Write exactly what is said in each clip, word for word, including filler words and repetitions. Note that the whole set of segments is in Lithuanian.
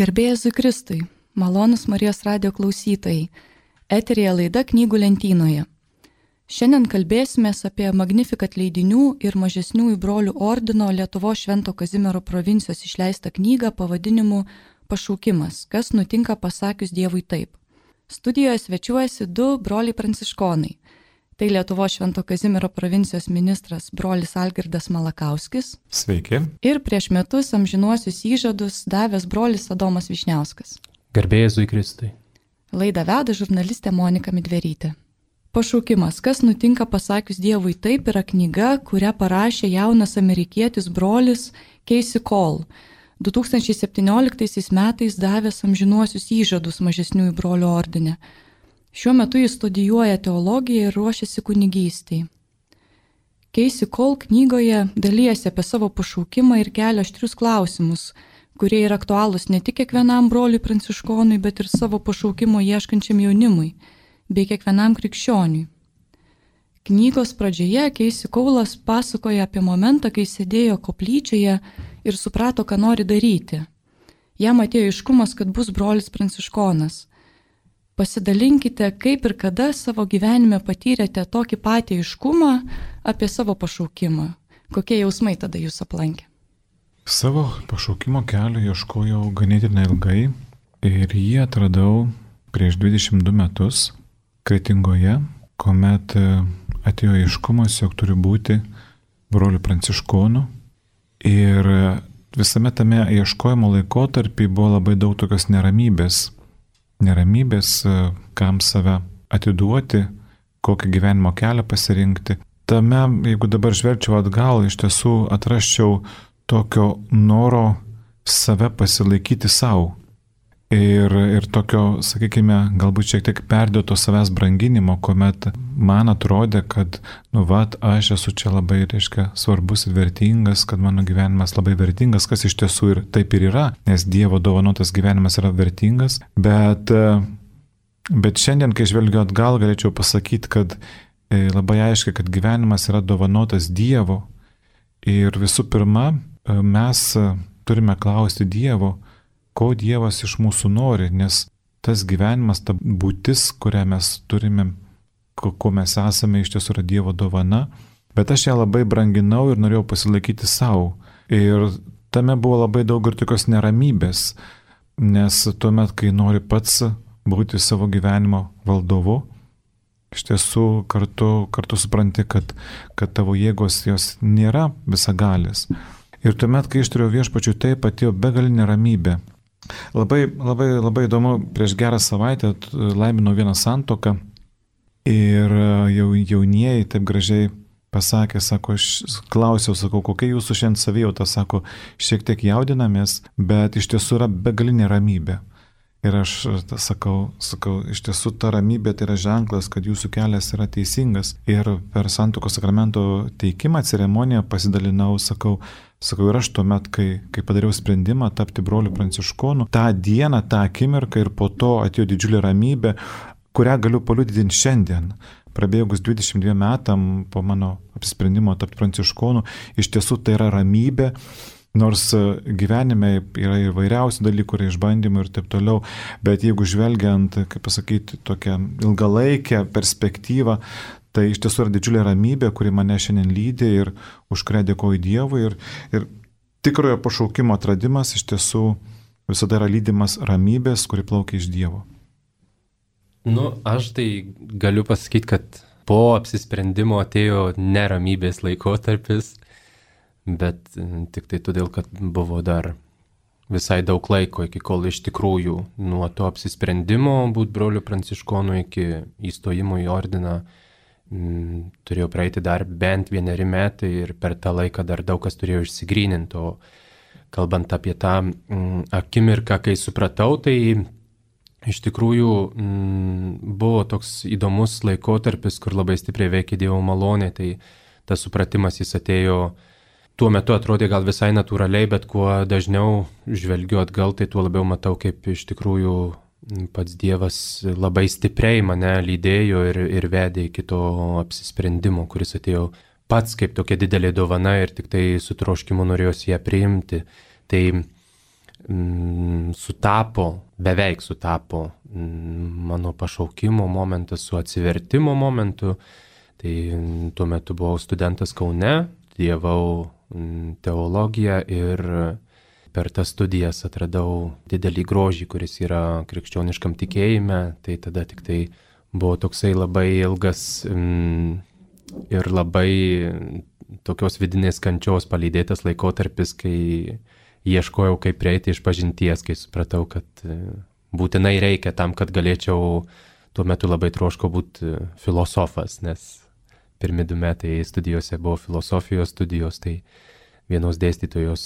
Garbė Jėzui Kristui, malonūs Marijos radijo klausytojai, eteryje laida Knygų lentynoje. Šiandien kalbėsimės apie Magnificat leidinių ir mažesniųjų brolių ordino Lietuvos Švento Kazimiero provincijos išleistą knygą pavadinimu Pašaukimas, kas nutinka pasakius Dievui taip. Studijoje svečiuojasi du broliai pranciškonai. Tai Lietuvos Švento Kazimiero provincijos ministras brolis Algirdas Malakauskis. Sveiki. Ir prieš metus amžinuosius įžadus davęs brolis Adomas Vyšniauskas. Garbė Jėzui Kristui. Laidą veda žurnalistė Monika Midverytė. Pašaukimas, kas nutinka pasakius Dievui taip, yra knyga, kurią parašė jaunas amerikietis brolis Casey Cole, du tūkstančiai septynioliktaisiais metais davęs amžinuosius įžadus mažesniųjų brolių ordine. Šiuo metu jis studijuoja teologiją ir ruošiasi kunigystei. Casey Cole knygoje dalijasi apie savo pašaukimą ir kelia aštrius klausimus, kurie yra aktualūs ne tik kiekvienam broliui pranciškonui, bet ir savo pašaukimo ieškančiam jaunimui, bei kiekvienam krikščioniui. Knygos pradžioje Casey Cole'as pasakoja apie momentą, kai sėdėjo koplyčioje ir suprato, ką nori daryti. Jam atėjo aiškumas, kad bus brolis pranciškonas. Pasidalinkite, kaip ir kada savo gyvenime patyrėte tokį patį aiškumą apie savo pašaukimą. Kokie jausmai tada jūs aplankė? Savo pašaukimo kelio ieškojau ganėtinai ilgai ir jį atradau prieš dvidešimt du metus Kretingoje, kuomet atėjo aiškumas, jog turiu būti broliu pranciškonu. Ir visame tame ieškojimo laikotarpį buvo labai daug tokios neramybės. Neramybės, kam save atiduoti, kokį gyvenimo kelią pasirinkti. Tame, jeigu dabar žvelgčiau atgal, iš tiesų atrasčiau tokio noro save pasilaikyti savo. Ir, ir tokio, sakykime, galbūt šiek tiek perdėto savęs branginimo, kuomet man atrodė, kad, nu vat, aš esu čia labai, reiškia, svarbus ir vertingas, kad mano gyvenimas labai vertingas, kas iš tiesų ir taip ir yra, nes Dievo dovanotas gyvenimas yra vertingas, bet, bet šiandien, kai žvelgiu atgal, galėčiau pasakyti, kad labai aiškiai, kad gyvenimas yra dovanotas Dievo ir visų pirma, mes turime klausti Dievo, ko Dievas iš mūsų nori, nes tas gyvenimas, ta būtis, kurią mes turime, ko, ko mes esame, iš tiesų yra Dievo dovana, bet aš ją labai branginau ir norėjau pasilaikyti savo. Ir tame buvo labai daug ir tokios neramybės, nes tuomet, kai nori pats būti savo gyvenimo valdovu, iš tiesų kartu, kartu supranti, kad, kad tavo jėgos jos nėra visagalės. Ir tuomet, kai išturėjau Viešpačiui, taip atėjo begalinė ramybė. Labai, labai, labai įdomu, prieš gerą savaitę laiminau vieną santuoką ir jau, jaunieji taip gražiai pasakė, sako, aš klausiau, sakau, kokia jūsų šiandien savijauta, sako, šiek tiek jaudinamės, bet iš tiesų yra begalinė ramybė. Ir aš sakau, sakau, iš tiesų ta ramybė tai yra ženklas, kad jūsų kelias yra teisingas. Ir per santuokos sakramento teikimą ceremoniją pasidalinau, sakau, sakau, ir aš tuomet, kai, kai padariau sprendimą tapti broliu pranciškonu, tą dieną, tą akimirką ir po to atėjo didžiulė ramybė, kurią galiu paliudyti šiandien. Prabėgus dvidešimt dviem metam po mano apsisprendimo tapti pranciškonu, iš tiesų tai yra ramybė. Nors gyvenime yra įvairiausių dalykų, yra išbandymų ir taip toliau, bet jeigu žvelgiant, kaip pasakyti, tokią ilgalaikę perspektyvą, tai iš tiesų yra didžiulė ramybė, kuri mane šiandien lydi ir už kurią dėkoju Dievui. Ir, ir tikrojo pašaukimo atradimas iš tiesų visada yra lydimas ramybės, kuri plaukia iš Dievo. Nu, aš tai galiu pasakyti, kad po apsisprendimo atėjo neramybės laikotarpis, bet tik tai todėl, kad buvo dar visai daug laiko, iki kol iš tikrųjų nuo to apsisprendimo būti broliu pranciškonu iki įstojimo į ordiną m, turėjo praeiti dar bent vieneri metai ir per tą laiką dar daug kas turėjo išsigryninti. O kalbant apie tą m, akimirką, kai supratau, tai iš tikrųjų m, buvo toks įdomus laikotarpis, kur labai stipriai veikia Dievo malonė, tai tas supratimas jis atėjo. Tuo metu atrodė gal visai natūraliai, bet kuo dažniau žvelgiu atgal, tai tuo labiau matau, kaip iš tikrųjų pats Dievas labai stipriai mane lydėjo ir, ir vedė iki to apsisprendimo, kuris atėjo pats kaip tokia didelė dovana ir tik tai su troškimu norėjosi ją priimti. Tai mm, sutapo, beveik sutapo mano pašaukimo momentas su atsivertimo momentu. Tai tuo metu buvau studentas Kaune, studijavau teologiją ir per tas studijas atradau didelį grožį, kuris yra krikščioniškam tikėjime. Tai tada tik tai buvo toksai labai ilgas ir labai tokios vidinės kančios palydėtas laikotarpis, kai ieškojau, kaip prieiti iš pažinties, kai supratau, kad būtinai reikia tam, kad galėčiau, tuo metu labai troškau būti filosofas, nes pirmi du metai studijose buvo filosofijos studijos, tai vienos dėstytojos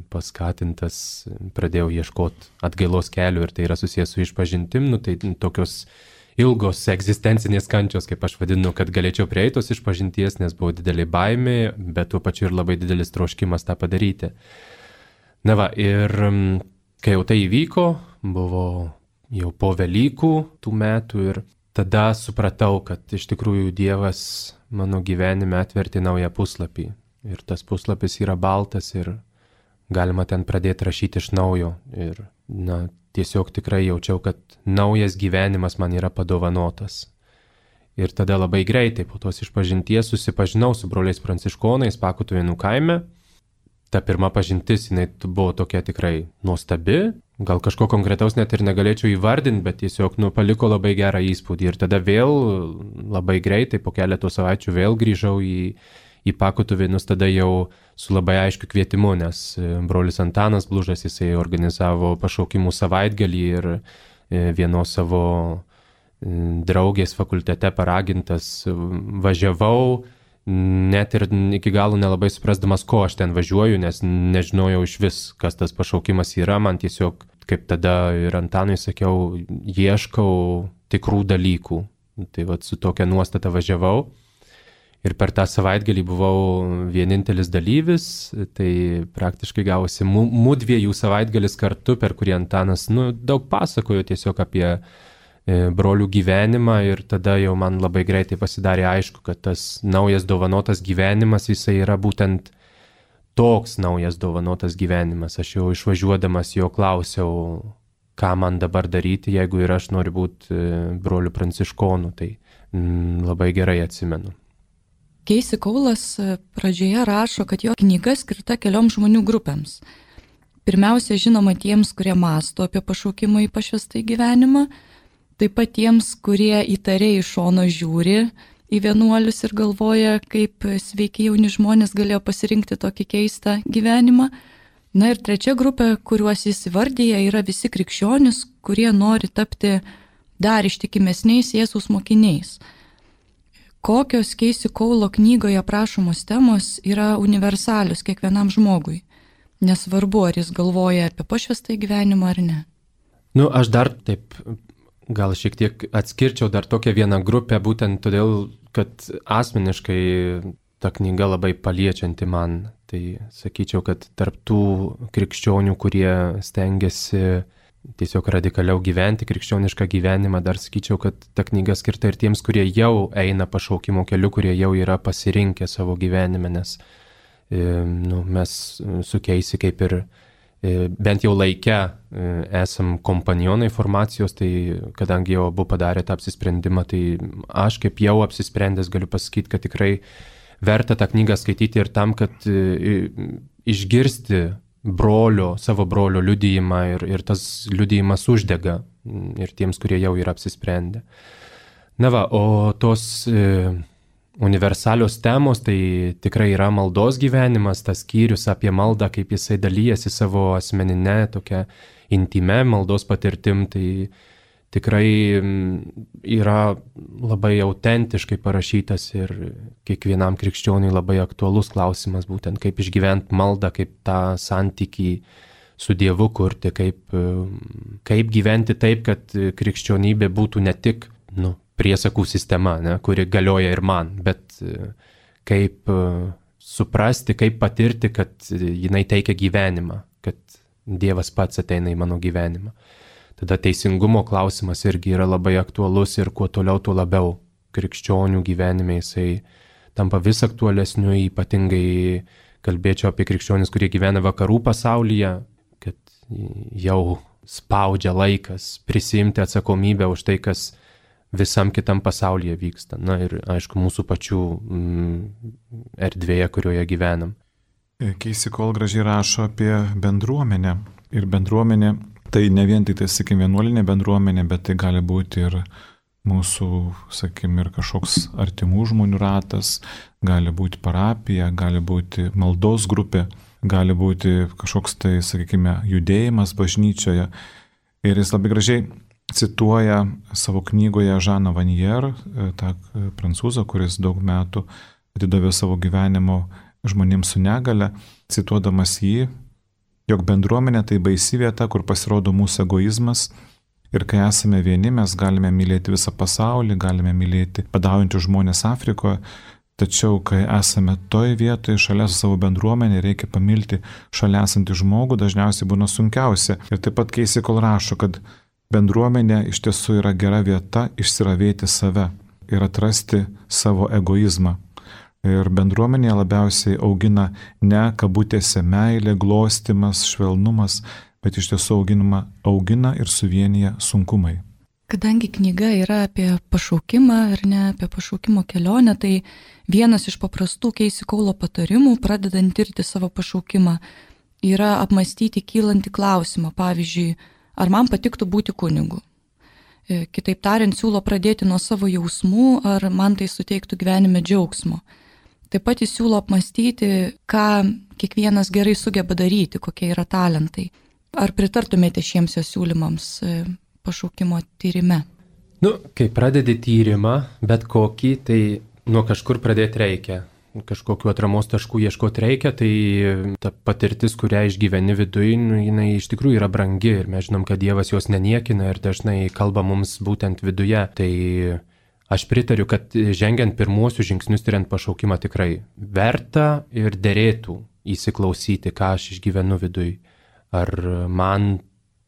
paskatintas pradėjau ieškoti atgailos kelių ir tai yra susijęs su išpažintim, nu tai tokios ilgos egzistencinės kančios, kaip aš vadinu, kad galėčiau prieiti tos išpažinties, nes buvo didelė baimė, bet tuo pačiu ir labai didelis troškimas tą padaryti. Na va, ir kai jau tai įvyko, buvo jau po Velykų tų metų ir tada supratau, kad iš tikrųjų Dievas mano gyvenime atvertė naują puslapį. Ir tas puslapis yra baltas ir galima ten pradėti rašyti iš naujo. Ir na, tiesiog tikrai jaučiau, kad naujas gyvenimas man yra padovanotas. Ir tada labai greitai po tos išpažinties susipažinau su broliais pranciškonais Pakutuvėnų kaime. Ta pirma pažintis, jinai buvo tokia tikrai nuostabi. Gal kažko konkretaus net ir negalėčiau įvardinti, bet tiesiog nu, paliko labai gerą įspūdį. Ir tada vėl labai greitai, po keletų savaičių vėl grįžau į, į Pakutuvėnus, tada jau su labai aiškiu kvietimu, nes brolis Antanas Blužas, jisai organizavo pašaukimų savaitgalį ir vienos savo draugės fakultete paragintas važiavau, net ir iki galo nelabai suprasdamas, ko aš ten važiuoju, nes nežinojau iš vis, kas tas pašaukimas yra. Man tiesiog, kaip tada ir Antanui sakiau, ieškau tikrų dalykų. Tai vat su tokia nuostata važiavau. Ir per tą savaitgalį buvau vienintelis dalyvis, tai praktiškai gavosi mudviejų savaitgalis kartu, per kurį Antanas nu, daug pasakojo tiesiog apie brolių gyvenimą ir tada jau man labai greitai pasidarė aišku, kad tas naujas dovanotas gyvenimas jisai yra būtent toks naujas dovanotas gyvenimas. Aš jau išvažiuodamas jo klausiau, ką man dabar daryti, jeigu ir aš noriu būti brolių pranciškonų, tai mm, labai gerai atsimenu. Casey Coulas pradžioje rašo, kad jo knyga skirta kelioms žmonių grupėms. Pirmiausia, žinoma, tiems, kurie mąsto apie pašaukimą į pašvęstąjį gyvenimą, taip pat tiems, kurie įtariai iš šono žiūri į vienuolius ir galvoja, kaip sveiki jauni žmonės galėjo pasirinkti tokį keistą gyvenimą. Na ir trečia grupė, kuriuos jis įvardyja, yra visi krikščionys, kurie nori tapti dar ištikimesniais Jėzaus mokiniais. Kokios Casey Coulo knygoje aprašomos temos yra universalios kiekvienam žmogui, nesvarbu, ar jis galvoja apie pašvęstąjį gyvenimą ar ne. Nu, aš dar taip gal šiek tiek atskirčiau dar tokią vieną grupę, būtent todėl, kad asmeniškai ta knyga labai paliečianti man. Tai sakyčiau, kad tarp tų krikščionių, kurie stengiasi tiesiog radikaliau gyventi krikščionišką gyvenimą, dar sakyčiau, kad ta knyga skirta ir tiems, kurie jau eina pašaukimo keliu, kurie jau yra pasirinkę savo gyvenime, nes e, nu, mes su Casey kaip ir bent jau laike esam kompanionai formacijos, tai kadangi jau abu padarė tą apsisprendimą, tai aš kaip jau apsisprendęs galiu pasakyti, kad tikrai verta tą knygą skaityti ir tam, kad išgirsti brolio, savo brolio liudijimą ir, ir tas liudijimas uždega ir tiems, kurie jau yra apsisprendę. Na va, o tos universalios temos, tai tikrai yra maldos gyvenimas, tas skyrius apie maldą, kaip jisai dalyjasi savo asmeninę, tokią intimę maldos patirtim, tai tikrai yra labai autentiškai parašytas ir kiekvienam krikščioniui labai aktualus klausimas, būtent kaip išgyventi maldą, kaip tą santykį su Dievu kurti, kaip, kaip gyventi taip, kad krikščionybė būtų ne tik, nu, priesakų sistema, ne, kuri galioja ir man, bet kaip suprasti, kaip patirti, kad jinai teikia gyvenimą, kad Dievas pats ateina į mano gyvenimą. Tada teisingumo klausimas irgi yra labai aktualus ir kuo toliau, tuo labiau krikščionių gyvenime jisai tampa vis aktualesniu, ypatingai kalbėčiau apie krikščionis, kurie gyvena vakarų pasaulyje, kad jau spaudžia laikas prisimti atsakomybę už tai, kas visam kitam pasaulyje vyksta. Na ir aišku, mūsų pačių mm, erdvėje, kurioje gyvenam. Casey Cole gražiai rašo apie bendruomenę. Ir bendruomenė tai ne vien tik tai, sakykim, vienuolinė bendruomenė, bet tai gali būti ir mūsų, sakykim, ir kažkoks artimų žmonių ratas, gali būti parapija, gali būti maldos grupė, gali būti kažkoks tai, sakykime, judėjimas bažnyčioje. Ir jis labai gražiai cituoja savo knygoje Žaną Vanier, tą prancūzą, kuris daug metų atidavė savo gyvenimo žmonėms su negale, cituodamas jį, jog bendruomenė tai baisi vieta, kur pasirodo mūsų egoizmas ir kai esame vieni, mes galime mylėti visą pasaulį, galime mylėti badaujančius žmonės Afrikoje, tačiau kai esame toj vietoje šalia su savo bendruomenė, reikia pamilti šalia esantį žmogų, dažniausiai būna sunkiausia. Ir taip pat Casey Cole rašo, kad bendruomenė iš tiesų yra gera vieta išsiravėti save ir atrasti savo egoizmą. Ir bendruomenė labiausiai augina ne kabutėse meilė, glostimas, švelnumas, bet iš tiesų auginama, augina ir suvienyje sunkumai. Kadangi knyga yra apie pašaukimą ar ne apie pašaukimo kelionę, tai vienas iš paprastų Casey Cole patarimų, pradedant tirti savo pašaukimą, yra apmastyti kylantį klausimą. Pavyzdžiui, ar man patiktų būti kunigu? Kitaip tariant, siūlo pradėti nuo savo jausmų, ar man tai suteiktų gyvenime džiaugsmo. Taip pat jis siūlo apmastyti, ką kiekvienas gerai sugeba daryti, kokie yra talentai. Ar pritartumėte šiems jo siūlymams pašaukimo tyrime? Nu, kai pradedi tyrimą, bet kokį, tai nuo kažkur pradėti reikia. Kažkokiu atramos taškų ieškoti reikia, tai ta patirtis, kurią išgyveni viduje, nu, jinai iš tikrųjų yra brangi ir mes žinom, kad Dievas jos neniekina ir dažnai kalba mums būtent viduje. Tai aš pritariu, kad žengiant pirmuosius žingsnius tiriant pašaukimą tikrai verta ir derėtų įsiklausyti, ką aš išgyvenu viduje. Ar man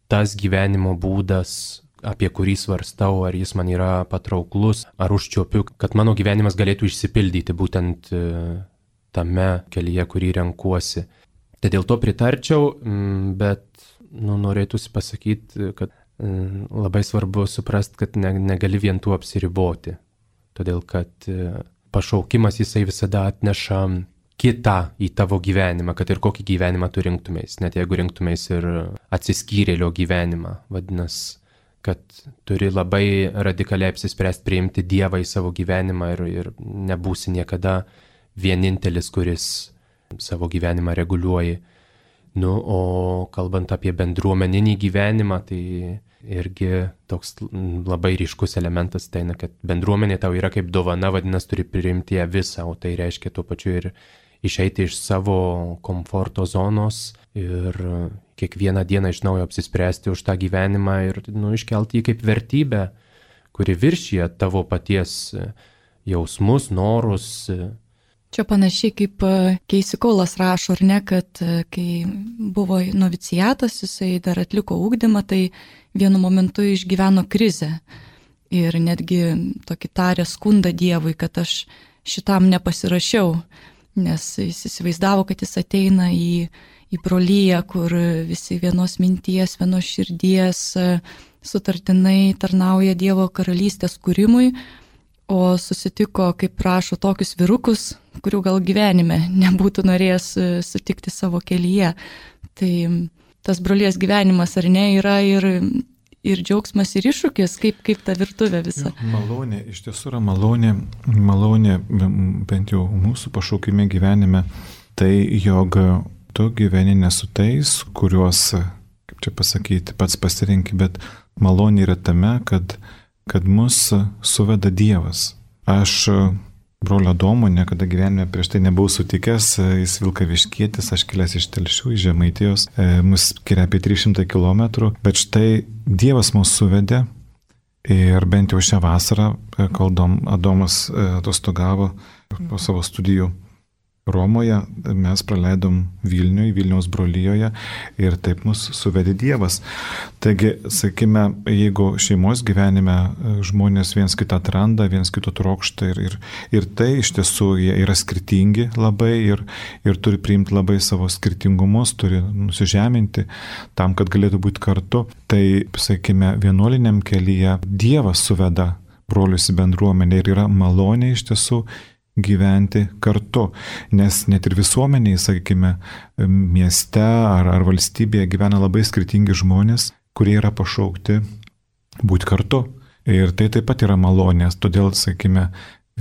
tas gyvenimo būdas, apie kurį svarstau, ar jis man yra patrauklus, ar užčiuopiu, kad mano gyvenimas galėtų išsipildyti būtent tame kelyje, kurį renkuosi. Tai dėl to pritarčiau, bet nu, norėtųsi pasakyti, kad labai svarbu suprasti, kad ne, negali vien tuo apsiriboti. Todėl, kad pašaukimas jisai visada atneša kitą į tavo gyvenimą, kad ir kokį gyvenimą tu rinktumės, net jeigu rinktumės ir atsiskyrėlio gyvenimą. Vadinasi, kad turi labai radikaliai apsispręsti priimti Dievą į savo gyvenimą ir, ir nebūsi niekada vienintelis, kuris savo gyvenimą reguliuoja. Nu, o kalbant apie bendruomeninį gyvenimą, tai irgi toks labai ryškus elementas, tai na, kad bendruomenė tau yra kaip dovana, vadinasi, turi priimti ją visą, o tai reiškia tuo pačiu ir išeiti iš savo komforto zonos ir kiekvieną dieną iš naujo apsispręsti už tą gyvenimą ir nu, iškelti jį kaip vertybę, kuri viršyje tavo paties jausmus, norus. Čia panašiai kaip Casey Cole'as rašo, ar ne, kad kai buvo noviciatas, jisai dar atliko ugdymą, tai vienu momentu išgyveno krizę ir netgi tokį tarė skundą Dievui, kad aš šitam nepasirašiau, nes jis įsivaizdavo, kad jis ateina į, į brolyją, kur visi vienos minties, vienos širdies sutartinai tarnauja Dievo karalystės kūrimui, o susitiko, kaip prašo, tokius vyrukus, kurių gal gyvenime nebūtų norėjęs sutikti savo kelyje. Tai tas brolijas gyvenimas, ar ne, yra ir, ir džiaugsmas, ir iššūkis, kaip, kaip ta virtuvė visa. Jo, malonė, iš tiesų yra malonė, malonė, bent jau mūsų pašaukime gyvenime, tai jog tu gyveni ne su tais, kuriuos, kaip čia pasakyti, pats pasirinki, bet malonė yra tame, kad kad mus suveda Dievas. Aš brolio Adomo niekada gyvenime prieš tai nebuvau sutikęs, jis Vilkaviškietis, aš kilęs iš Telšių, iš Žemaitijos, mus skiria apie tris šimtus kilometrų, bet štai Dievas mus suvedė ir bent jau šią vasarą, kol Adomas atostogavo po savo studijų Romoje, mes praleidom Vilniuje, Vilniaus brolyjoje ir taip mus suvedė Dievas. Taigi, sakykime, jeigu šeimos gyvenime žmonės viens kitą atranda, viens kito trokšta ir, ir, ir tai iš tiesų jie yra skirtingi labai ir, ir turi priimti labai savo skirtingumus, turi nusižeminti tam, kad galėtų būti kartu, tai, sakykime, vienuoliniam kelyje Dievas suveda brolius į bendruomenę ir yra malonė iš tiesų gyventi kartu, nes net ir visuomeniai, sakykime, mieste ar, ar valstybėje gyvena labai skirtingi žmonės, kurie yra pašaukti būti kartu. Ir tai taip pat yra malonės, todėl, sakykime,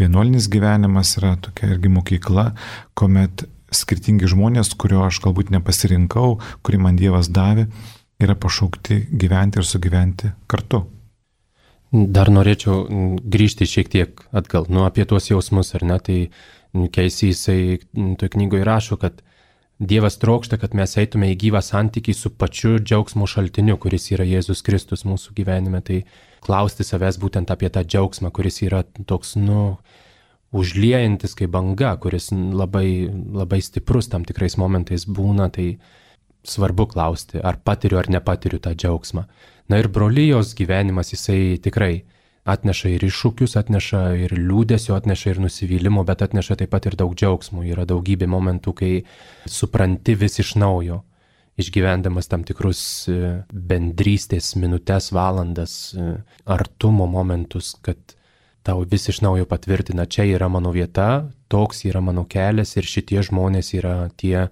vienuolinis gyvenimas yra tokia irgi mokykla, kuomet skirtingi žmonės, kurio aš galbūt nepasirinkau, kurį man Dievas davė, yra pašaukti gyventi ir sugyventi kartu. Dar norėčiau grįžti šiek tiek atgal, nu apie tuos jausmus, ar ne, tai Keisi jisai toj knygoje rašo, kad Dievas trokšta, kad mes eitume į gyvą santykį su pačiu džiaugsmo šaltiniu, kuris yra Jėzus Kristus mūsų gyvenime, tai klausti savęs būtent apie tą džiaugsmą, kuris yra toks, nu, užliejantis kaip banga, kuris labai, labai stiprus tam tikrais momentais būna, tai svarbu klausti, ar patiriu ar nepatiriu tą džiaugsmą. Na ir brolijos gyvenimas jisai tikrai atneša ir iššūkius, atneša ir liūdesio, atneša ir nusivylimo, bet atneša taip pat ir daug džiaugsmų. Yra daugybė momentų, kai supranti vis iš naujo, išgyvendamas tam tikrus bendrystės minutės, valandas, artumo momentus, kad tau vis iš naujo patvirtina, čia yra mano vieta, toks yra mano kelias ir šitie žmonės yra tie,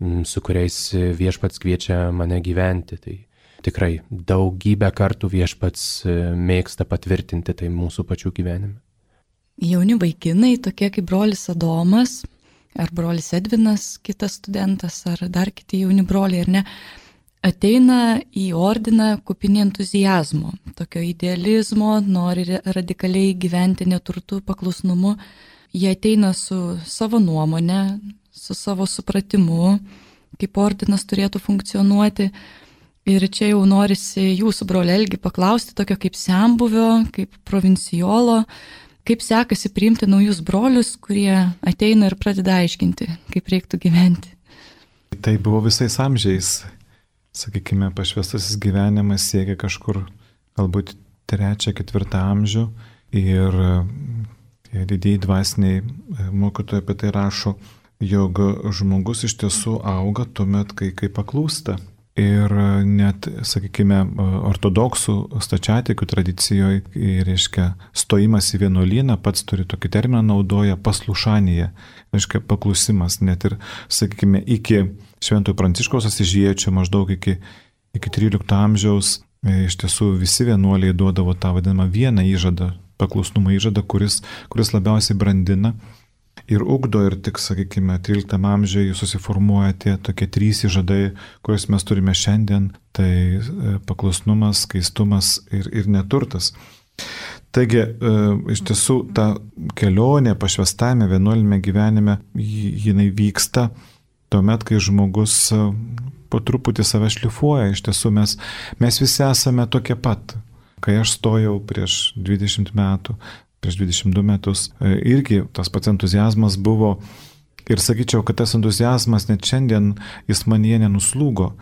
su kuriais viešpats kviečia mane gyventi. Tai tikrai daugybę kartų viešpats mėgsta patvirtinti tai mūsų pačių gyvenime. Jauni vaikinai, tokie kaip brolis Adomas, ar brolis Edvinas, kitas studentas, ar dar kiti jauni broliai, ar ne, ateina į ordiną kupini entuzijazmo, tokio idealizmo, nori radikaliai gyventi neturtų paklusnumu. Jie ateina su savo nuomonė, su savo supratimu, kaip ordinas turėtų funkcionuoti. Ir čia jau norisi jūsų, broli Elgi, paklausti tokio kaip senbuvio, kaip provincijolo, kaip sekasi priimti naujus brolius, kurie ateina ir pradeda aiškinti, kaip reiktų gyventi. Tai buvo visais amžiais. Sakykime, pašvestasis gyvenimas siekia kažkur galbūt trečią, ketvirtą amžių ir tie didieji dvasiniai mokytojai apie tai rašo, jog žmogus iš tiesų auga tuomet, kai, kai paklūsta. Ir net, sakykime, ortodoksų stačiatikių tradicijoje, reiškia, stojimas į vienuolyną, pats turi tokį terminą naudoja paslušanija, reiškia, paklusimas. Net ir, sakykime, iki Šventojo Pranciškaus Asyžiečio, maždaug iki, iki trylikto amžiaus, iš tiesų visi vienuoliai duodavo tą vadinamą vieną įžadą, paklusnumo įžadą, kuris, kuris labiausiai brandina ir ugdo, ir tik, sakykime, tryliktame amžiuje susiformuoja tie tokie trys įžadai, kuriuos mes turime šiandien, tai paklusnumas, skaistumas ir, ir neturtas. Taigi, iš tiesų, ta kelionė pašvestame vienuolinėme gyvenime, jinai vyksta tuomet, kai žmogus po truputį save šlifuoja. Iš tiesų, mes, mes visi esame tokie pat. Kai aš stojau prieš dvidešimt metų, prieš dvidešimt du metus, irgi tas pats entuzijazmas buvo ir sakyčiau, kad tas entuzijazmas net šiandien jis manyje nenuslūgo,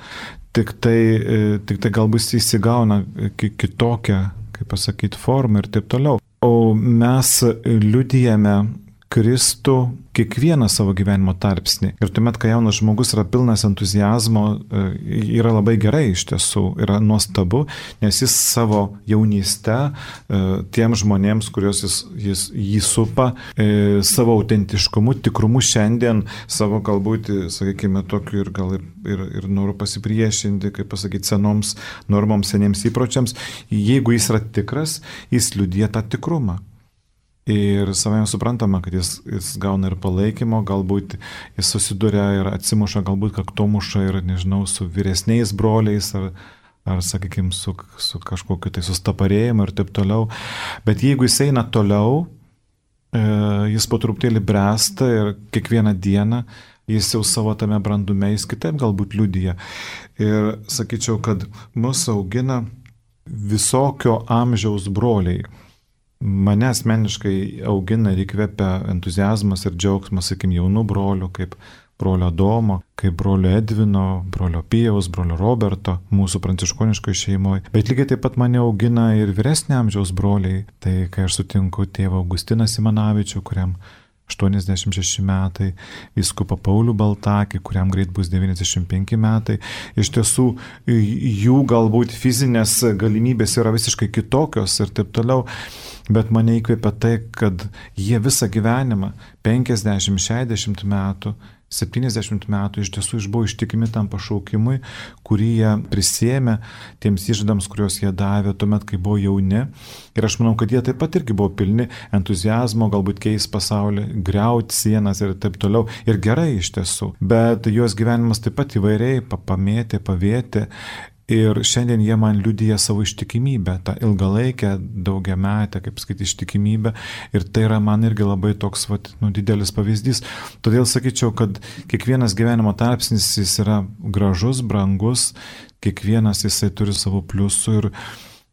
tik tai, tik tai galbūt jis įsigauna kitokią, kaip pasakyti, formą ir taip toliau. O mes liudijame Kristų kiekvieną savo gyvenimo tarpsnį. Ir tuomet, kai jaunas žmogus yra pilnas entuzijazmo, yra labai gerai iš tiesų, yra nuostabu, nes jis savo jaunystę tiem žmonėms, kuriuos jis, jis jį supa, savo autentiškumu, tikrumu šiandien, savo galbūt, sakykime, tokiu ir gal ir, ir, ir noru pasipriešinti, kaip pasakyti, senoms normoms, seniems įpročiams, jeigu jis yra tikras, jis liudija tą tikrumą. Ir savai suprantama, kad jis, jis gauna ir palaikymo, galbūt jis susiduria ir atsimuša, galbūt kaktomuša ir, nežinau, su vyresniais broliais ar, ar sakykime, su, su kažkokiu tai sustaparėjimu ir taip toliau. Bet jeigu jis eina toliau, e, jis po truputėlį bręsta ir kiekvieną dieną jis jau savo tame brandume, jis kitaip galbūt liudija. Ir sakyčiau, kad mus augina visokio amžiaus broliai. mane asmeniškai augina ir įkvepia entuziazmas ir džiaugsmas, sakim, jaunų brolių, kaip brolio Domo, kaip brolio Edvino, brolio Pijaus, brolio Roberto, mūsų pranciškoniškoje šeimoje. Bet lygiai taip pat mane augina ir vyresnio amžiaus broliai. Tai kai aš sutinku tėvą Augustiną Simanavičių, kuriam aštuoniasdešimt šeši metai, vyskupą Paulių Baltakį, kuriam greit bus devyniasdešimt penki metai. Iš tiesų, jų galbūt fizinės galimybės yra visiškai kitokios ir taip toliau, bet mane įkvepia tai, kad jie visą gyvenimą, penkiasdešimt šešiasdešimt metų, septyniasdešimt metų iš tiesų išbuvo ištikimi tam pašaukimui, kurį jie prisėmė tiems įžadams, kuriuos jie davė tuomet, kai buvo jauni. Ir aš manau, kad jie taip pat irgi buvo pilni entuzijazmo, galbūt keis pasaulį, griauti sienas ir taip toliau. Ir gerai iš tiesų. Bet jos gyvenimas taip pat įvairiai pamėtė, pavėtė. Ir šiandien jie man liudija savo ištikimybę, tą ilgalaikę, daugiametę, kaip sakyti, ištikimybę. Ir tai yra man irgi labai toks vat, nu, didelis pavyzdys. Todėl sakyčiau, kad kiekvienas gyvenimo tarpsnis jis yra gražus, brangus, kiekvienas jisai turi savo pliusų ir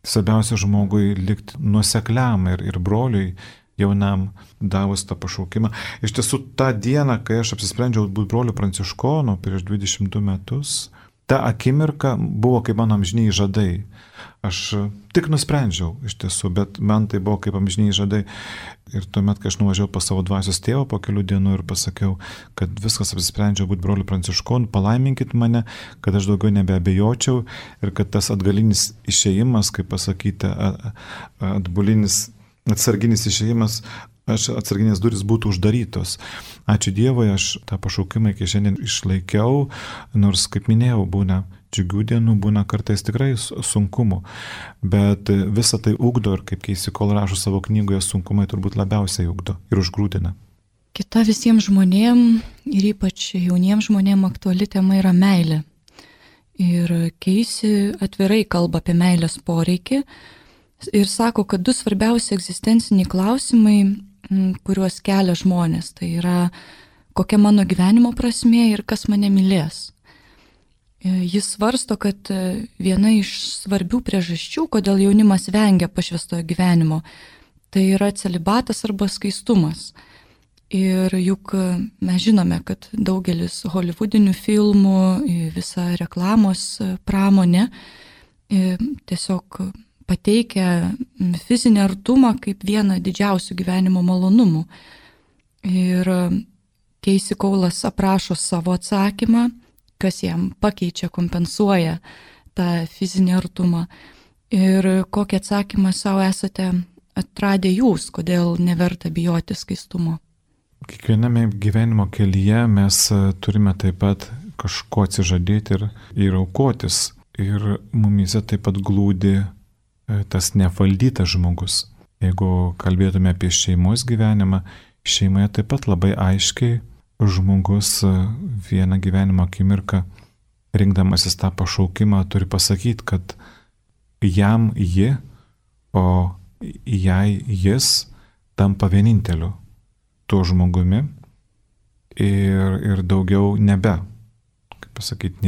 svarbiausia žmogui likti nuosekliam ir, ir broliui jaunam davus tą pašaukimą. Iš tiesų, tą dieną, kai aš apsisprendžiau būti broliu pranciškonu prieš dvidešimt du metus, ta akimirka buvo kaip mano amžiniai žadai. Aš tik nusprendžiau iš tiesų, bet man tai buvo kaip amžiniai žadai. Ir tuomet, kai aš nuvažiavau pas savo dvasios tėvą po kelių dienų ir pasakiau, kad viskas apsisprendžiau būti broliu pranciškonu, palaiminkit mane, kad aš daugiau nebeabejočiau ir kad tas atgalinis išėjimas, kaip pasakyti, atbulinis, atsarginis išėjimas, aš atsarginės durys būtų uždarytos. Ačiū Dievui, aš tą pašaukimą iki šiandien išlaikiau, nors, kaip minėjau, būna džiugių dienų, būna kartais tikrai sunkumų, bet visą tai ugdo ir kaip Keisi Kol rašo savo knygoje, sunkumai turbūt labiausiai ugdo ir užgrūdina. Kita visiems žmonėm ir ypač jauniems žmonėm aktuali tema yra meilė. Ir Keisi atvirai kalba apie meilės poreikį ir sako, kad du svarbiausi egzistenciniai klausimai, kuriuos kelia žmonės. Tai yra, kokia mano gyvenimo prasmė ir kas mane mylės. Jis svarsto, kad viena iš svarbių priežasčių, kodėl jaunimas vengia pašvęstojo gyvenimo, tai yra celibatas arba skaistumas. Ir juk mes žinome, kad daugelis holivudinių filmų, visa reklamos pramonė tiesiog pateikia fizinį artumą kaip vieną didžiausių gyvenimo malonumų. Ir Keisi Kolas aprašo savo atsakymą, kas jam pakeičia, kompensuoja tą fizinį artumą. Ir kokį atsakymą savo esate atradę jūs, kodėl neverta bijoti skaistumo? Kiekviename gyvenimo kelyje mes turime taip pat kažko atsižadėti ir, ir aukotis. Ir mumyse taip pat glūdi tas nevaldytas žmogus. Jeigu kalbėtume apie šeimos gyvenimą, šeimoje taip pat labai aiškiai žmogus vieną gyvenimo akimirką, rinkdamasis tą pašaukimą, turi pasakyti, kad jam ji, o jai jis tampa vieninteliu tuo žmogumi ir, ir daugiau nebe, kaip pasakyti,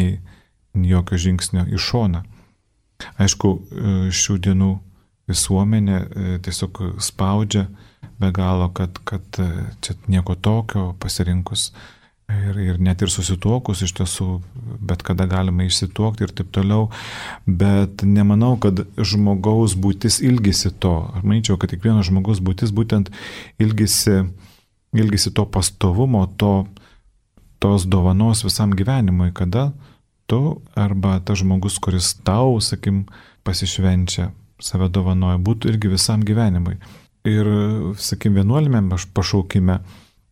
nei jokio žingsnio į šoną. Aišku, šių dienų visuomenė tiesiog spaudžia be galo, kad, kad čia nieko tokio pasirinkus ir, ir net ir susituokus iš tiesų, bet kada galima išsituokti ir taip toliau, bet nemanau, kad žmogaus būtis ilgisi to. Aš manyčiau, kad kiekvieno žmogaus būtis būtent ilgisi, ilgisi to pastovumo, to, tos dovanos visam gyvenimui, kada tu arba tas žmogus, kuris tau, sakim, pasišvenčia, save dovanoja, būtų irgi visam gyvenimui. Ir, sakim, vienuolime pašaukime,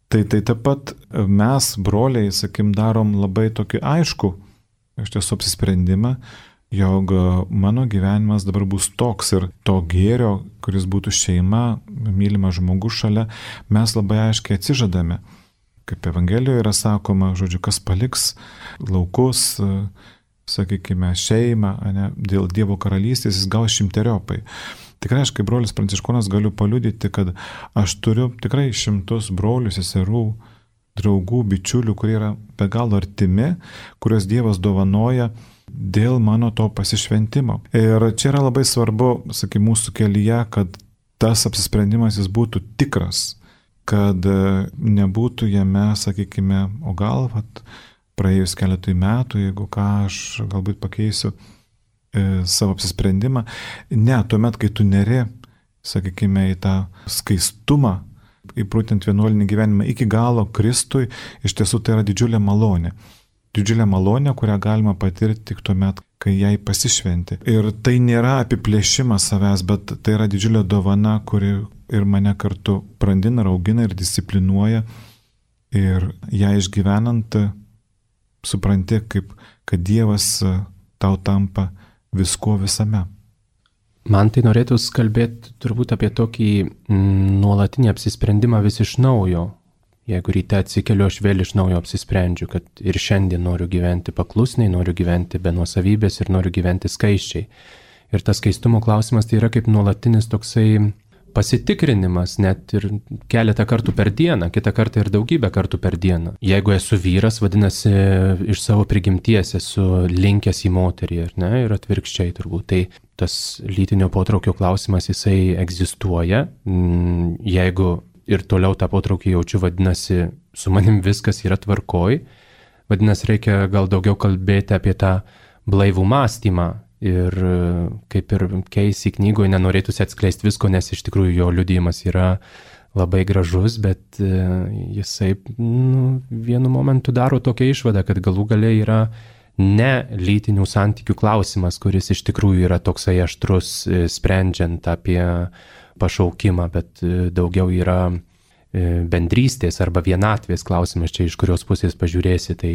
tai tai taip pat mes, broliai, sakim, darom labai tokį aišku, iš tiesų apsisprendimą, jog mano gyvenimas dabar bus toks ir to gėrio, kuris būtų šeima, mylimas žmogus šalia, mes labai aiškiai atsižadame. Kaip Evangelijoje yra sakoma, žodžiu, kas paliks laukus, sakykime, šeimą, ne, dėl Dievo karalystės, jis gaus šimteriopai. Tikrai aš kaip brolis pranciškonas galiu paliudyti, kad aš turiu tikrai šimtus brolių, seserų, draugų, bičiulių, kurie yra be galo artimi, kuriuos Dievas dovanoja dėl mano to pasišventimo. Ir čia yra labai svarbu, sakykime, mūsų kelyje, kad tas apsisprendimas jis būtų tikras, kad nebūtų jame, sakykime, o gal, vat, praėjus keletui metų, jeigu ką aš galbūt pakeisiu e, savo apsisprendimą. Ne, tuomet, kai tu neri, sakykime, į tą skaistumą, įprūtent vienuolinį gyvenimą iki galo Kristui, iš tiesų tai yra didžiulė malonė. Didžiulė malonė, kurią galima patirti tik tuomet, kai jai pasišventi. Ir tai nėra apiplėšimas savęs, bet tai yra didžiulė dovana, kuri ir mane kartu brandina, augina ir disciplinuoja. Ir ją išgyvenant, supranti, kaip, kad Dievas tau tampa visko visame. Man tai norėtųs kalbėti turbūt apie tokį nuolatinį apsisprendimą vis iš naujo. Jeigu ryte atsikeliu, aš vėl iš naujo apsisprendžiu, kad ir šiandien noriu gyventi paklusniai, noriu gyventi be nuosavybės ir noriu gyventi skaisčiai. Ir tas skaistumo klausimas tai yra kaip nuolatinis toksai pasitikrinimas, net ir keletą kartų per dieną, kitą kartą ir daugybę kartų per dieną. Jeigu esu vyras, vadinasi, iš savo prigimties esu linkęs į moterį, ar ne, ir atvirkščiai turbūt. Tai tas lytinio potraukio klausimas, jisai egzistuoja. Jeigu ir toliau tą potraukį jaučiu, vadinasi, su manim viskas yra tvarkoj. Vadinasi, reikia gal daugiau kalbėti apie tą blaivų mąstymą. Ir kaip ir Keisi knygoje nenorėtųsi atskleisti visko, nes iš tikrųjų jo liudijimas yra labai gražus, bet jisai nu, vienu momentu daro tokią išvadą, kad galų gale yra ne lytinių santykių klausimas, kuris iš tikrųjų yra toksai aštrus, sprendžiant apie pašaukimą, bet daugiau yra bendrystės arba vienatvės klausimas, čia iš kurios pusės pažiūrėsi. Tai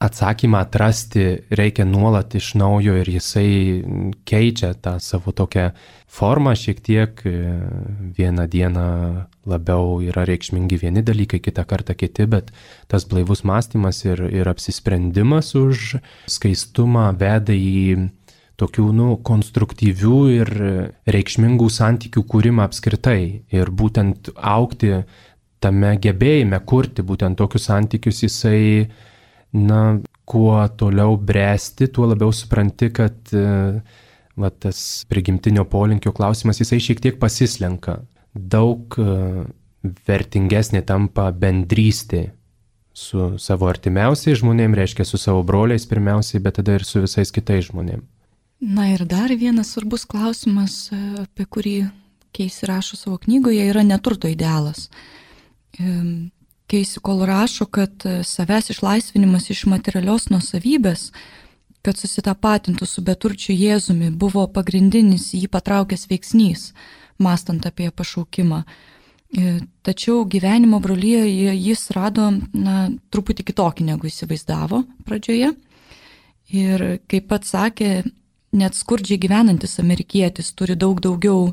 atsakymą atrasti reikia nuolat iš naujo ir jisai keičia tą savo tokią formą šiek tiek. Vieną dieną labiau yra reikšmingi vieni dalykai, kitą kartą kiti, bet tas blaivus mąstymas ir, ir apsisprendimas už skaistumą veda į tokių, nu, konstruktyvių ir reikšmingų santykių kūrimą apskritai. Ir būtent augti tame gebėjime kurti būtent tokius santykius, jisai, na, kuo toliau bręsti, tuo labiau supranti, kad va, tas prigimtinio polinkio klausimas, jisai šiek tiek pasislenka. Daug vertingesnė tampa bendrystė su savo artimiausiais žmonėm, reiškia su savo broliais pirmiausiai, bet tada ir su visais kitais žmonėm. Na ir dar vienas svarbus klausimas, apie kurį Keisi rašo savo knygoje, yra neturto idealas. Keisi kol rašo, kad savęs išlaisvinimas iš materialios nuosavybės, kad susitapatintų su beturčiu Jėzumi, buvo pagrindinis jį patraukęs veiksnys, mąstant apie pašaukimą. Tačiau gyvenimo brolyje jis rado, na, truputį kitokį, negu įsivaizdavo pradžioje. Ir kaip pats sakė, net skurdžiai gyvenantis amerikietis turi daug daugiau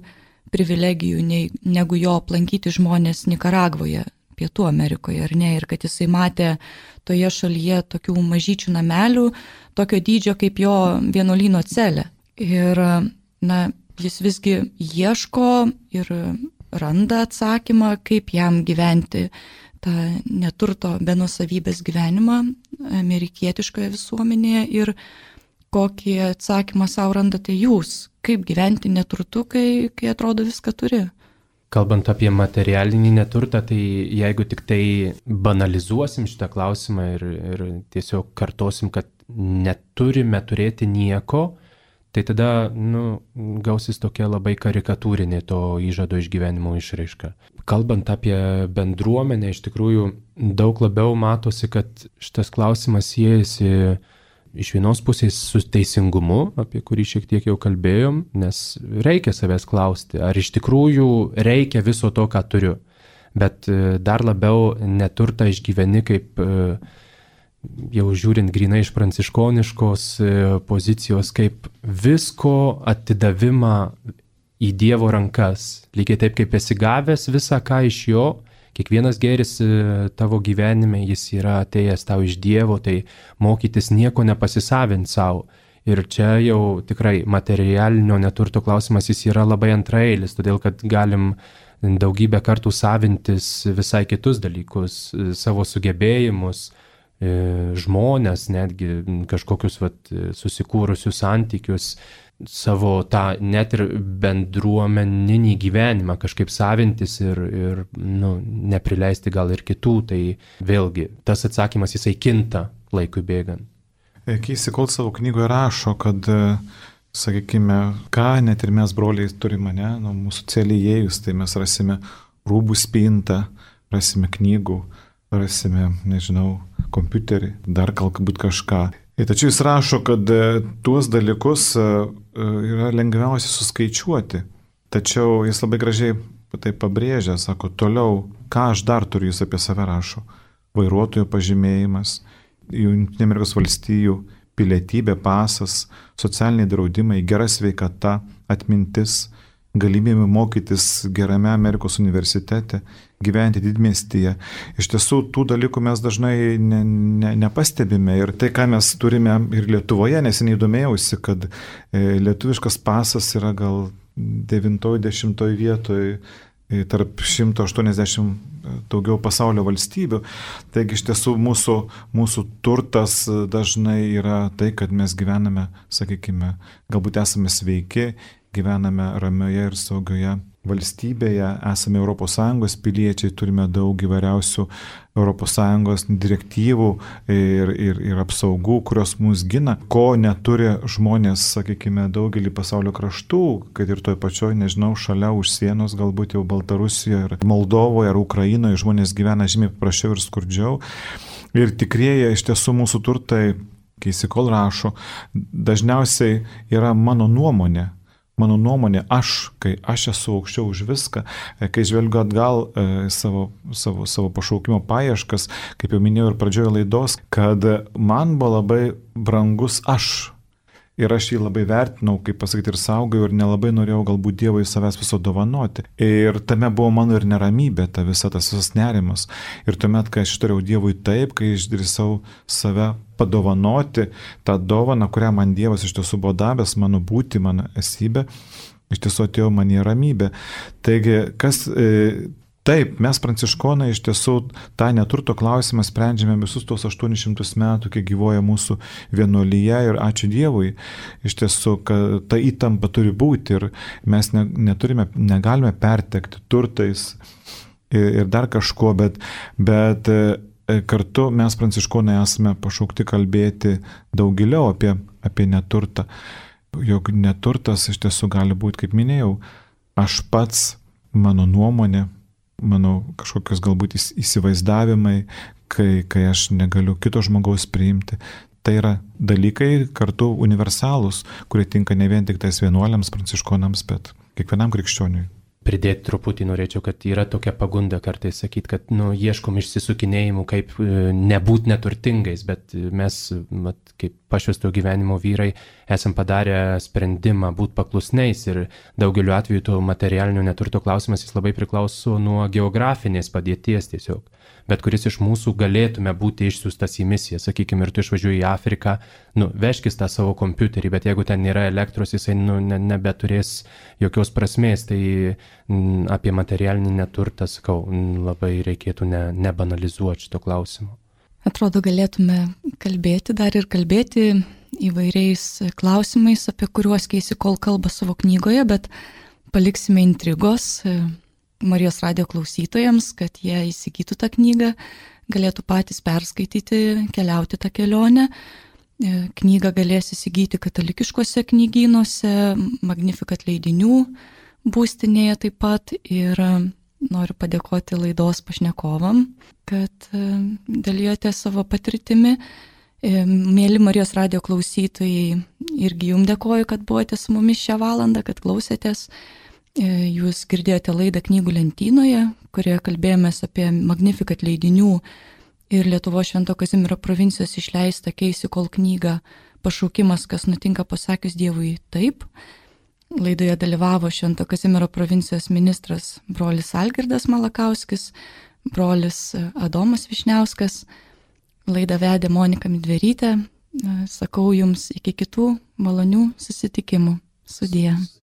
privilegijų nei, negu jo aplankyti žmonės Nikaragvoje, Pietų Amerikoje, ar ne, ir kad jisai matė toje šalyje tokių mažyčių namelių, tokio dydžio kaip jo vienuolyno celė. Ir, na, jis visgi ieško ir randa atsakymą, kaip jam gyventi tą neturto be nuosavybės gyvenimą amerikietiškoje visuomenėje ir kokį atsakymą savo randate jūs, kaip gyventi neturtu, kai, kai atrodo viską turi. Kalbant apie materialinį neturtą, tai jeigu tik tai banalizuosim šitą klausimą ir, ir tiesiog kartosim, kad neturime turėti nieko, tai tada, nu, gausis tokia labai karikatūrinė to įžado išgyvenimo išraiška. Kalbant apie bendruomenę, iš tikrųjų daug labiau matosi, kad šitas klausimas siejasi iš vienos pusės su teisingumu, apie kurį šiek tiek jau kalbėjom, nes reikia savęs klausti, ar iš tikrųjų reikia viso to, ką turiu. Bet dar labiau neturtą išgyveni kaip, jau žiūrint grinai iš pranciškoniškos pozicijos, kaip visko atidavimą į Dievo rankas. Lygiai taip, kaip esi gavęs visą ką iš jo, kiekvienas gėris tavo gyvenime, jis yra atėjęs tau iš Dievo, tai mokytis nieko nepasisavint savo. Ir čia jau tikrai materialinio neturto klausimas, jis yra labai antraeilis, todėl kad galim daugybę kartų savintis visai kitus dalykus, savo sugebėjimus, žmonės, netgi kažkokius vat, susikūrusius santykius, savo tą net ir bendruomeninį gyvenimą kažkaip savintis ir, ir nu, neprileisti gal ir kitų, tai vėlgi tas atsakymas jisai kinta laikui bėgant. Casey Cole savo knygoje rašo, kad, sakykime, ką net ir mes broliai turime, ne, nu, mūsų celį įėjus, tai mes rasime rūbų spintą, rasime knygų, rasime, nežinau, kompiuterį, dar galbūt kažką. Ir tačiau jis rašo, kad tuos dalykus yra lengviausia suskaičiuoti. Tačiau jis labai gražiai tai pabrėžia, sako, toliau, ką aš dar turiu, jis apie save rašo. Vairuotojo pažymėjimas, Jungtinių Amerikos valstijų pilietybė, pasas, socialiniai draudimai, gera sveikata, atmintis, galimybė mokytis gerame Amerikos universitete, gyventi didmiestyje. Iš tiesų, tų dalykų mes dažnai ne, ne, nepastebime. Ir tai, ką mes turime ir Lietuvoje, neseniai domėjausi, kad lietuviškas pasas yra gal devintoj, dešimtoj vietoj tarp šimto aštuoniasdešimt daugiau pasaulio valstybių. Taigi iš tiesų mūsų, mūsų turtas dažnai yra tai, kad mes gyvename, sakykime, galbūt esame sveiki, gyvename ramioje ir saugioje valstybėje, esame Europos Sąjungos piliečiai, turime daug įvairiausių Europos Sąjungos direktyvų ir, ir, ir apsaugų, kurios mus gina, ko neturi žmonės, sakykime, daugelį pasaulio kraštų, kad ir toj pačioj, nežinau, šalia už sienos, galbūt jau Baltarusijoje, ar Moldovoje, ar Ukrainoje žmonės gyvena žymiai paprasčiau ir skurdžiau. Ir tikrieji iš tiesų mūsų turtai, Casey Cole rašo, dažniausiai yra mano nuomonė. Mano nuomonė, aš, kai aš esu aukščiau už viską, kai žvelgiu atgal e, savo, savo, savo pašaukimo paieškas, kaip jau minėjau ir pradžioje laidos, kad man buvo labai brangus aš. Ir aš jį labai vertinau, kaip pasakyti, ir saugojau, ir nelabai norėjau galbūt Dievui savęs viso dovanoti. Ir tame buvo mano ir neramybė, ta visa tas visas nerimas. Ir tuomet, kai aš ištariau Dievui taip, kai išdrįsau save padovanoti, tą dovaną, kurią man Dievas iš tiesų buvo davęs, mano būti, mano esybė, iš tiesų atėjo man į ramybę. Taigi, kas... E, Taip, mes pranciškonai iš tiesų tą neturto klausimą sprendžiame visus tos aštuonis šimtus metų, kai gyvoja mūsų vienuolyje ir ačiū Dievui. Iš tiesų, kad ta įtampa turi būti ir mes ne, neturime, negalime pertekti turtais ir, ir dar kažko, bet, bet kartu mes pranciškonai esame pašaukti kalbėti daug giliau apie, apie neturtą. Jog neturtas iš tiesų gali būti, kaip minėjau, aš pats, mano nuomonė, mano kažkokios galbūt įsivaizdavimai, kai, kai aš negaliu kito žmogaus priimti. Tai yra dalykai kartu universalūs, kurie tinka ne vien tik tais vienuoliams, pranciškonams, bet kiekvienam krikščioniui. Pridėti truputį norėčiau, kad yra tokia pagunda kartais sakyti, kad nu, ieškom išsisukinėjimų, kaip nebūti neturtingais, bet mes, mat, kaip pašvęsto gyvenimo vyrai, esam padarę sprendimą būti paklusniais ir daugeliu atveju to materialinio neturto klausimas jis labai priklauso nuo geografinės padėties tiesiog. Bet kuris iš mūsų galėtume būti išsiųstas į misiją, sakykime, ir tu išvažiuoji į Afriką, nu, vežkis tą savo kompiuterį, bet jeigu ten nėra elektros, jisai nu, ne, nebeturės jokios prasmės, tai m, apie materialinį neturtą, sakau, m, labai reikėtų ne, nebanalizuoti šito klausimo. Atrodo, galėtume kalbėti dar ir kalbėti įvairiais klausimais, apie kuriuos Casey Cole kalba savo knygoje, bet paliksime intrigos Marijos radijo klausytojams, kad jie įsigytų tą knygą, galėtų patys perskaityti, keliauti tą kelionę. Knygą galės įsigyti katalikiškose knygynuose, Magnificat leidinių būstinėje taip pat. Ir noriu padėkoti laidos pašnekovam, kad dalyjote savo patirtimi. Mėly Marijos radijo klausytojai, irgi jums dėkoju, kad buvote su mumis šią valandą, kad klausėtės. Jūs girdėjote laidą Knygų lentynoje, kurioje kalbėjomės apie Magnificat leidinių ir Lietuvos Švento Kazimiero provincijos išleistą Casey Cole knygą Pašaukimas, kas nutinka pasakius Dievui taip. Laidoje dalyvavo Švento Kazimiero provincijos ministras brolis Algirdas Malakauskis, brolis Adomas Višniauskas. Laidą vedė Monika Midverytė. Sakau jums iki kitų malonių susitikimų. Sudie.